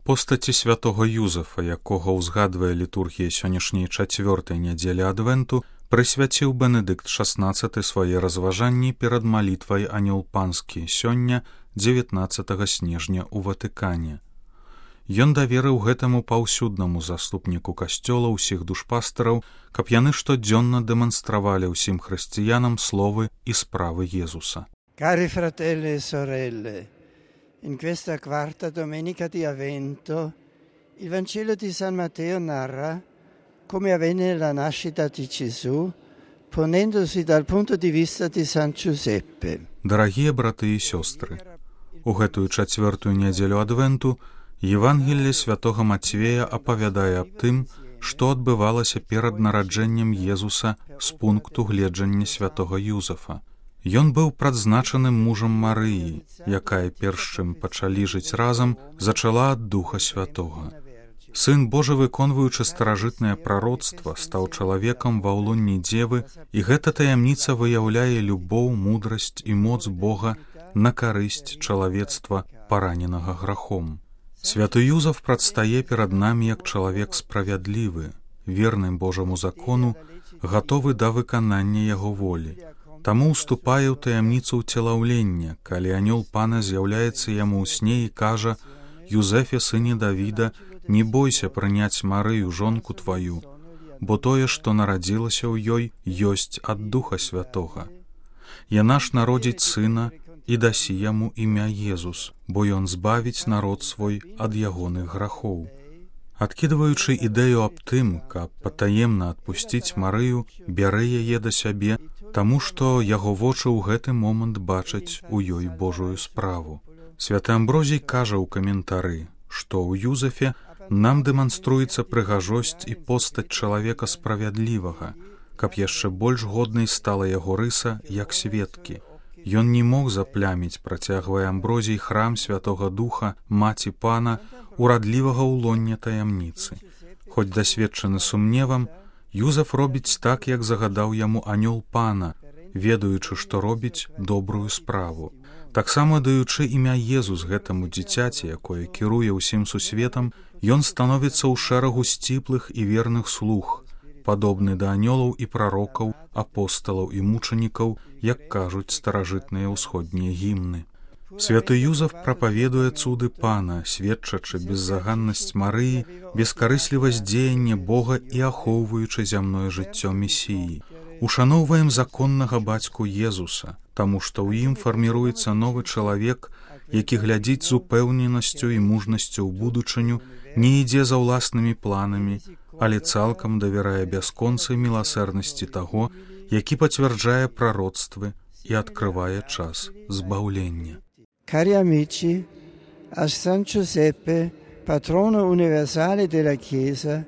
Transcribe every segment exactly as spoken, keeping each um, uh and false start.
Постаці святого Юзафа, якога ўзгадвае літургія сённяшняй чацвёртай нядзелі адвенту, прысвяціў Бенедыкт шаснаццаты свае разважанні перад малітвай Анёл Панскі сёння, дзевятнаццатага снежня ў Ватыкане. Ён даверыў гэтаму паўсюднаму заступніку касцёла ўсіх душпастараў, каб яны штодзённа дэманстравалі ўсім хрысціянам словы і справы Езуса. Cari fratelli e sorelle, in questa quarta domenica di Avvento, il Vangelo di San Matteo narra come avvenne la nascita di Gesù, ponendosi dal punto di vista di San Giuseppe. Дарагія браты і сёстры, у гэтую чацвёртую нядзелю адвенту Евангелле святога Мацвея апавядае аб тым, што адбывалася перад нараджэннем Езуса з пункту гледжання святога Юзафа. Ён быў прадзначаным мужам Марыі, якая перш чым пачалі жыць разам, зачала ад Духа Святога. Сын Божы, выконваючы старажытнае прароцтва, стаў чалавекам ва ўлонні дзевы, і гэта таямніца выяўляе любоў, мудрасць і моц Бога на карысць чалавецтва, параненага грахом. Святы Юзаф прадстае перад намі як чалавек справядлівы, верны Божаму закону, гатовы да выканання яго волі. Таму ўступае ў таямніцу ўцелаўлення, калі анёл Пана з'яўляецца яму ў сне і кажа: «Юзефе, сыне Давіда, не бойся прыняць Марыю, жонку тваю, бо тое, што нарадзілася ў ёй, ёсць ад Духа Святога. Яна ж народзіць сына і дасі яму імя Езус, бо ён збавіць народ свой ад ягоных грахоў». Адкідваючы ідэю аб тым, каб патаемна адпусціць Марыю, бярэ яе да сябе, таму што яго вочы ў гэты момант бачаць у ёй Божую справу. Святы Амброзій кажа ў каментары, што ў Юзафе нам дэманструецца прыгажосць і постаць чалавека справядлівага, каб яшчэ больш годнай стала яго рыса як сведкі. Ён не мог запляміць, працягвае Амброзій, храм Святога Духа, маці Пана, урадлівага ўлоння таямніцы. Хоць дасведчаны сумневам, Юзаф робіць так, як загадаў яму анёл Пана, ведаючы, што робіць добрую справу. Таксама даючы імя Езус гэтаму дзіцяці, якое кіруе ўсім сусветам, ён становіцца ў шэрагу сціплых і верных слуг, падобны да анёлаў і прарокаў, апосталаў і мучанікаў, як кажуць старажытныя ўсходнія гімны. Святы Юзаф прапаведуе цуды Пана, сведчачы беззаганнасць Марыі, бескарыслівасць дзеяння Бога і ахоўваючы зямное жыццё Месіі. Ушаноўваем законнага бацьку Езуса, таму што ў ім фарміруецца новы чалавек, які глядзіць з упэўненасцю і мужнасцю ў будучыню, не ідзе за ўласнымі планамі, але цалкам давярае бясконцай міласэрнасці таго, які пацвярджае прароцтвы і адкрывае час збаўлення. Cari amici, a San Giuseppe, patrono universale della Chiesa,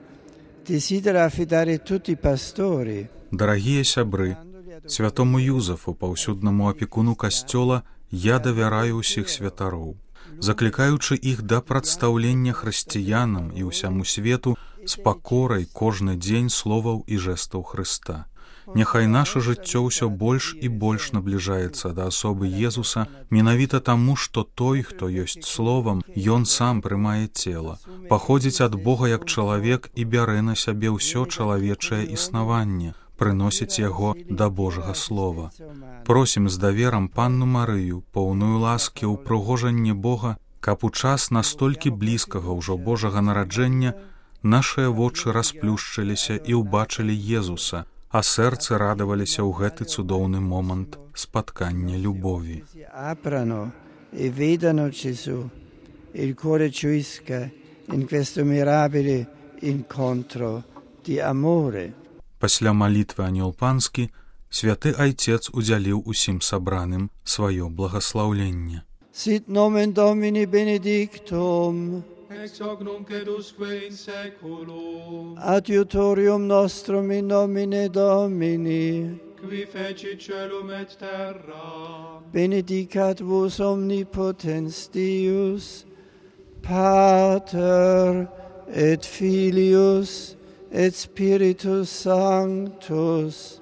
desidera affidare tutti i pastori. Дарагія сябры, святому Юзафу, паўсюднаму апекуну касцёла, я давяраю ўсіх святароў, заклікаючы іх да прадстаўлення хрысціянам і ўсяму свету з пакорай кожны дзень словаў і жэстаў Хрыста. Няхай наша жыццё ўсё больш і больш набліжаецца да асобы Езуса, менавіта таму, што той, хто ёсць словам, ён сам прымае цела, паходзіць ад Бога як чалавек і бярэ на сябе ўсё чалавечае існаванне, прыносіць яго да Божага слова. Просім з даверам Панну Марыю, поўную ласкі, упрыгожанне Бога, каб у час настолькі блізкага ўжо Божага нараджэння нашыя вочы расплюшчыліся і ўбачылі Езуса, а сэрцы радаваліся ў гэты цудоўны момант спаткання любові. Aprano e vedano Gesù, il cuore gioisca in questo mirabile incontro di amore. Пасля малітвы анёл Панскі святы Айцец удзяліў усім сабраным сваё благаслаўленне. Sit nomen Domini benedictum, ex hoc nunc et usque in saeculum. Adiutorium nostrum in nomine Domini, Qui fecit caelum et terra. benedicat vos omnipotens Deus, Pater et Filius et Spiritus Sanctus.